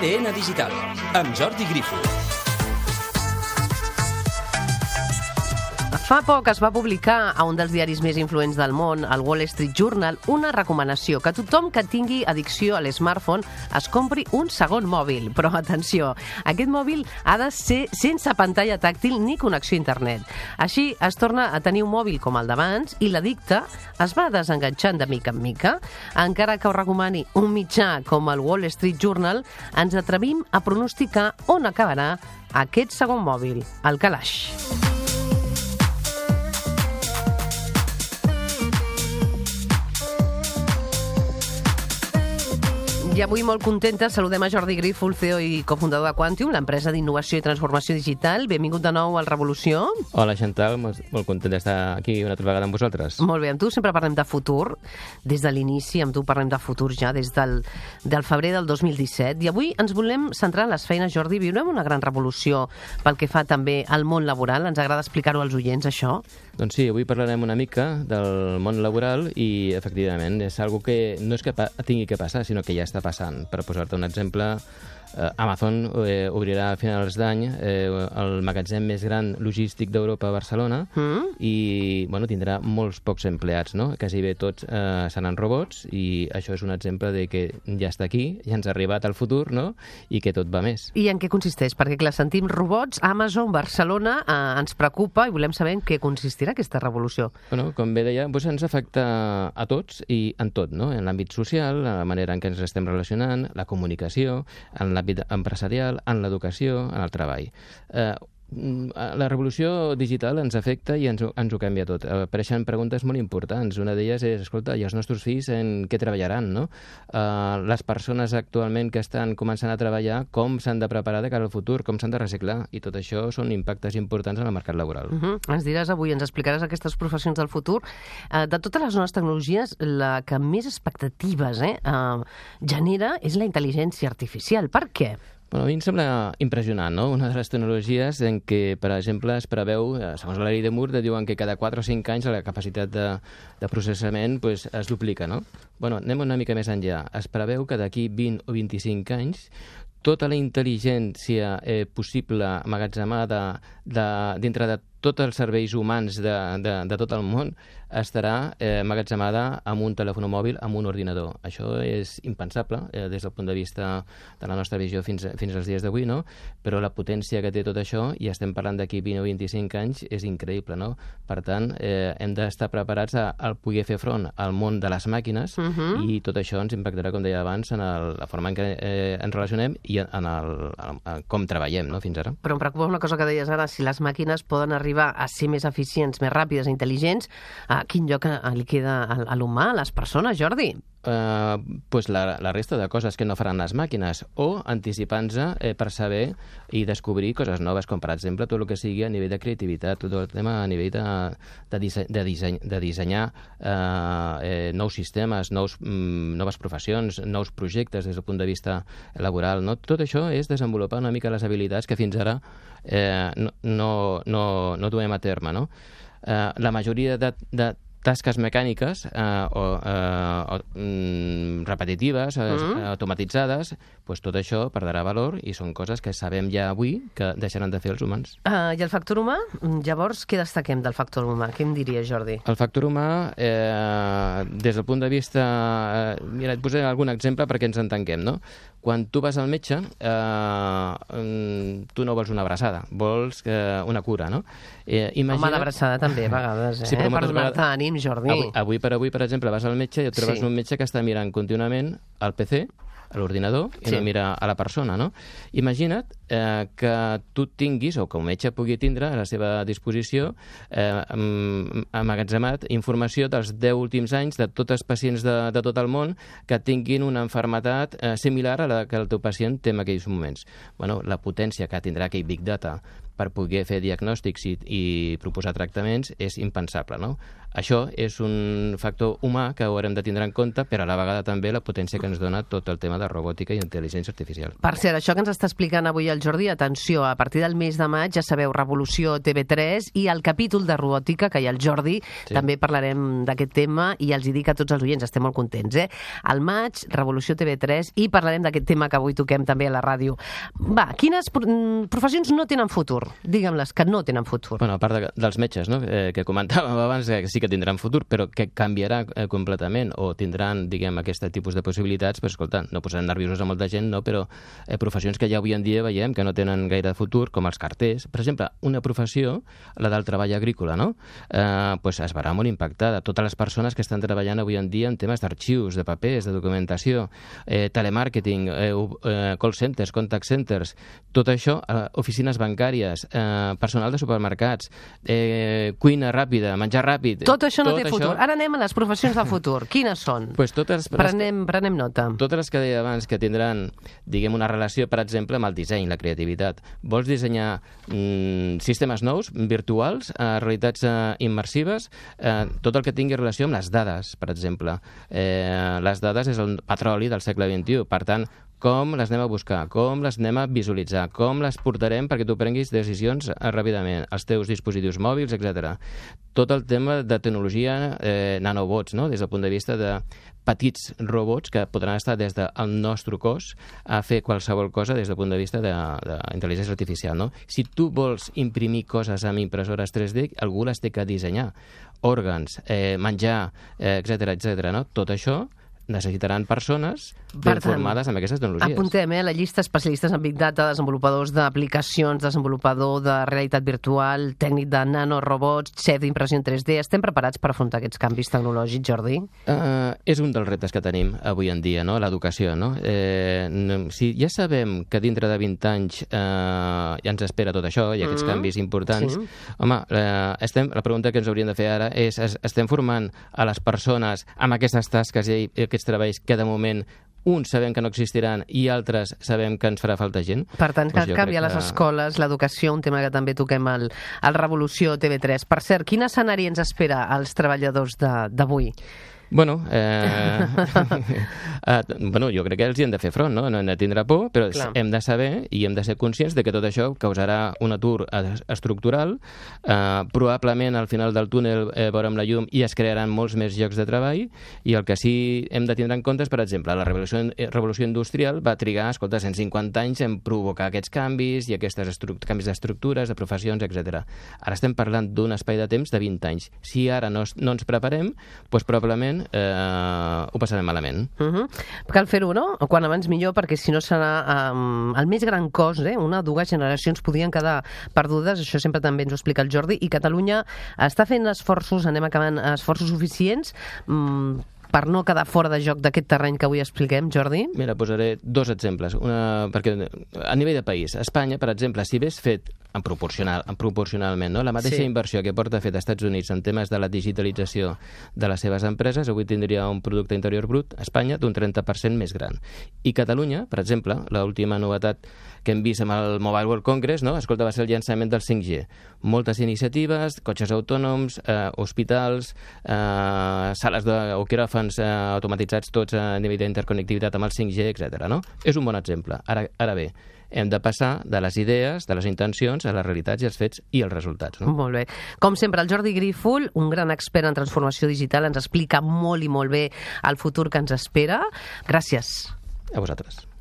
ADN Digital, amb Jordi Grifo. Fa poc es va publicar a un dels diaris més influents del món, el Wall Street Journal, una recomanació que tothom que tingui addicció a l'smartphone es compri un segon mòbil. Però atenció, aquest mòbil ha de ser sense pantalla tàctil ni connexió a internet. Així es torna a tenir un mòbil com el d'abans i l'addicte es va desenganxant de mica en mica. Encara que ho recomani un mitjà com el Wall Street Journal, ens atrevim a pronosticar on acabarà aquest segon mòbil, el calaix. I avui molt contenta saludem a Jordi Grifo, el CEO i cofundador de Quantium, l'empresa d'innovació i transformació digital. Benvingut de nou al Revolució. Hola, Chantal, molt content d'estar aquí una altra vegada amb vosaltres. Molt bé, amb tu sempre parlem de futur, des de l'inici, amb tu parlem de futur ja des del febrer del 2017. I avui ens volem centrar en les feines, Jordi. Viurem una gran revolució pel que fa també al món laboral. Ens agrada explicar-ho als oients, això. Doncs sí, avui parlarem una mica del món laboral i, efectivament, és algo que no és que tingui que passar, sinó que ja està passant. Per posar-te un exemple, Amazon obrirà a finals d'any el magatzem més gran logístic d'Europa a Barcelona i tindrà molts pocs empleats, no? Quasi bé tots seran robots i això és un exemple de que ja està aquí, ja ens ha arribat al futur, no? I que tot va més. I en què consisteix? Perquè, clar, sentim robots, Amazon, Barcelona, ens preocupa i volem saber en què consistirà aquesta revolució. Bueno, com bé deia, ens afecta a tots i en tot, no? En l'àmbit social, en la manera en què ens estem relacionant, la comunicació, en l'àmbit empresarial, en l'educació, en el treball. La revolució digital ens afecta i ens ho canvia tot. Apareixen preguntes molt importants. Una d'elles és, escolta, i els nostres fills en què treballaran, no? Les persones actualment que estan començant a treballar, com s'han de preparar de cara al futur, com s'han de reciclar, i tot això són impactes importants en el mercat laboral. Ens diràs avui, ens explicaràs aquestes professions del futur. De totes les noves tecnologies, la que més expectatives genera és la intel·ligència artificial. Per què? Bueno, a mi em sembla impressionant, no? Una de les tecnologies en què, per exemple, es preveu, segons la llei de Moore, diuen que cada 4 o 5 anys la capacitat de processament es duplica, no? Bueno, anem una mica més enllà. Es preveu que d'aquí 20 o 25 anys tota la intel·ligència possible emmagatzemada dintre de tots els serveis humans de tot el món estarà emmagatzemada amb un telèfon mòbil, amb un ordinador. Això és impensable des del punt de vista de la nostra visió fins als dies d'avui, no? Però la potència que té tot això, i estem parlant d'aquí 20 o 25 anys, és increïble, no? Per tant, hem d'estar preparats a poder fer front al món de les màquines i tot això ens impactarà, com deia abans, en la forma en què ens relacionem i en com treballem, no?, fins ara. Però em preocupa una cosa que deies ara, si les màquines poden arribar a ser més eficients, més ràpides i intel·ligents, quin lloc li queda a l'humà, a les persones, Jordi? La resta de coses que no faran les màquines, o anticipant-se per saber i descobrir coses noves, com per exemple tot el que sigui a nivell de creativitat, tot el tema a nivell de dissenyar nous sistemes, noves professions, nous projectes des del punt de vista laboral, no? Tot això és desenvolupar una mica les habilitats que fins ara no duem a terme, no? La majoria de tasques mecàniques repetitives, automatitzades, tot això perdrà valor i són coses que sabem ja avui que deixaran de fer els humans. I el factor humà? Llavors, què destaquem del factor humà? Què em diries, Jordi? El factor humà, des del punt de vista... Mira, et posaré algun exemple perquè ens entenguem, no? Quan tu vas al metge, tu no vols una abraçada, vols una cura, no? Home, l'abraçada també, a vegades, per donar-te ànim, Jordi. Avui per avui, per exemple, vas al metge i et trobes un metge que està mirant contínuament al PC, a l'ordinador, i no mira a la persona, no? Imagina't que tu tinguis, o que un metge pugui tindre a la seva disposició, emmagatzemat informació dels 10 últims anys de tots els pacients de tot el món que tinguin una malaltia similar a la que el teu pacient té en aquells moments. Bueno, la potència que tindrà aquell Big Data per poder fer diagnòstics i proposar tractaments és impensable, no? Això és un factor humà que haurem de tindre en compte, però a la vegada també la potència que ens dona tot el tema de robòtica i intel·ligència artificial. Per cert, això que ens està explicant avui el Jordi, atenció, a partir del mes de maig, ja sabeu, Revolució TV3 i el capítol de robòtica, que hi ha el Jordi, també parlarem d'aquest tema i els hi dic a tots els oients, estem molt contents, Al maig, Revolució TV3, i parlarem d'aquest tema que avui toquem també a la ràdio. Va, quines professions no tenen futur? Digue'm-les que no tenen futur. Bueno, a part dels metges, no?, que comentàvem abans, que sí que tindran futur, però que canviarà completament o tindran, diguem, aquest tipus de possibilitats, però escolta, no posaran nerviosos a molta gent, no?, però professions que ja avui en dia veiem que no tenen gaire futur, com els carters. Per exemple, una professió, la del treball agrícola, no?, pues es verà molt impactada. Totes les persones que estan treballant avui en dia en temes d'arxius, de papers, de documentació, telemàrqueting, call centers, contact centers, tot això, oficines bancàries, personal de supermercats, cuina ràpida, menjar ràpid... Tot això no té futur. Ara anem a les professions del futur. Quines són? Pues totes... Prenem nota. Totes les que deia abans que tindran, diguem, una relació, per exemple, amb el disseny, la creativitat. Vols dissenyar sistemes nous, virtuals, realitats immersives, tot el que tingui relació amb les dades, per exemple. Les dades és el petroli del segle XXI. Per tant, com les anem a buscar, com les anem a visualitzar, com les portarem perquè tu prenguis decisions ràpidament, els teus dispositius mòbils, etc. Tot el tema de tecnologia, nanobots, no?, des del punt de vista de petits robots que podran estar des del nostre cos a fer qualsevol cosa des del punt de vista d'intel·ligència artificial, no? Si tu vols imprimir coses amb impressores 3D, algú les té que dissenyar. Òrgans, menjar, etc., no? Tot això necessitaran persones ben formades amb aquestes tecnologies. Apuntem, la llista especialistes en Big Data, desenvolupadors d'aplicacions, desenvolupador de realitat virtual, tècnic de nanorobots, xef d'impressió en 3D. Estem preparats per afrontar aquests canvis tecnològics, Jordi? És un dels reptes que tenim avui en dia, no?, l'educació, no? Si ja sabem que dintre de 20 anys ja ens espera tot això i aquests canvis importants, home, la pregunta que ens hauríem de fer ara és, estem formant a les persones amb aquestes tasques i aquests treballs que de moment uns sabem que no existiran i altres sabem que ens farà falta gent. Per tant, cal canviar les escoles, l'educació, un tema que també toquem al Revolució TV3. Per cert, quin escenari ens espera als treballadors d'avui? Bueno, jo crec que els hi hem de fer front, no? No hem de tindre por, però hem de saber i hem de ser conscients de que tot això causarà un atur estructural. Probablement al final del túnel veurem la llum i es crearan molts més llocs de treball, i el que sí hem de tindre en compte és, per exemple, la revolució industrial va trigar, 150 anys en provocar aquests canvis i aquests canvis d'estructures, de professions, etc. Ara estem parlant d'un espai de temps de 20 anys. Si ara no ens preparem, doncs probablement ho passarem malament. Cal fer-ho, no? Quan abans millor, perquè si no serà el més gran cost, una o dues generacions podrien quedar perdudes, això sempre també ens ho explica el Jordi, i Catalunya està fent esforços, anem acabant, esforços suficients per no quedar fora de joc d'aquest terreny que avui expliquem, Jordi? Mira, posaré dos exemples. Perquè a nivell de país, Espanya, per exemple, si hagués fet proporcionalment, no?, la mateixa inversió que porta fet als Estats Units en temes de la digitalització de les seves empreses, avui tindria un producte interior brut, Espanya, d'un 30% més gran. I Catalunya, per exemple, l'última novetat que hem vist amb el Mobile World Congress, no?, escolta, va ser el llançament del 5G. Moltes iniciatives, cotxes autònoms, hospitals, sales o quiròfans automatitzats tots a nivell d'interconnectivitat amb el 5G, etc. No? És un bon exemple. Ara bé, hem de passar de les idees, de les intencions, a les realitats i els fets i els resultats. No? Molt bé. Com sempre, el Jordi Grífol, un gran expert en transformació digital, ens explica molt i molt bé el futur que ens espera. Gràcies. A vosaltres.